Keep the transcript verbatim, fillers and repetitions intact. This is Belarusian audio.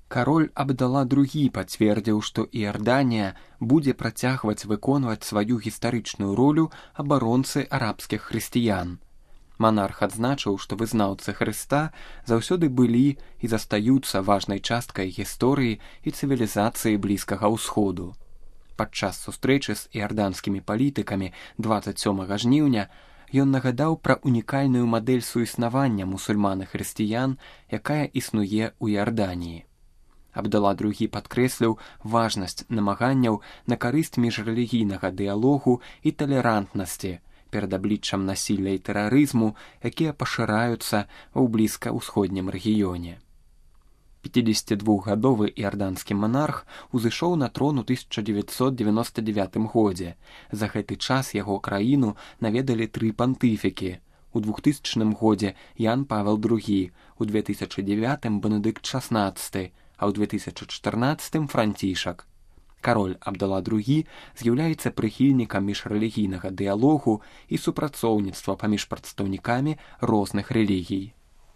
Кароль Абдала другі пацвердзіў, што Іарданія будзе працягваць выконваць сваю гістарычную ролю абаронцы арабскіх хрысціян. Манарх адзначыў, што вызнаўцы Хрыста заўсёды былі і застаюцца важнай часткай гісторыі і цывілізацыі Блізкага ўсходу. Падчас сустрэчы з іарданскімі палітыкамі дваццаць сёмага жніўня ён нагадаў пра унікальную мадэль суіснавання мусульман і хрысціян, якая існуе ў Іарданіі. Абдала другі падкрэсліў важнасць намаганняў на карысць міжрэлігійнага дыялогу і талерантнасці перад абліччам насілля і тэрарызму, якія пашыраюцца ў блізка-ўсходнім рэгіёне. пяцідзесятидвухгадовы іарданскі манарх узышоў на трон у тысяча дзевяцьсот дзевяноста дзевятым годзе. За гэты час яго краіну наведалі тры пантыфікі. У двухтысячным годзе Ян Павел другі, у две тысячы дзевятым Бенедыкт шаснаццаты, а ў две тысячы чатырнаццатым Францішак. Кароль Абдала другі з'яўляецца прыхільнікам міжрэлігійнага дыялогу і супрацоўніцтва паміж прадстаўнікамі розных рэлігій.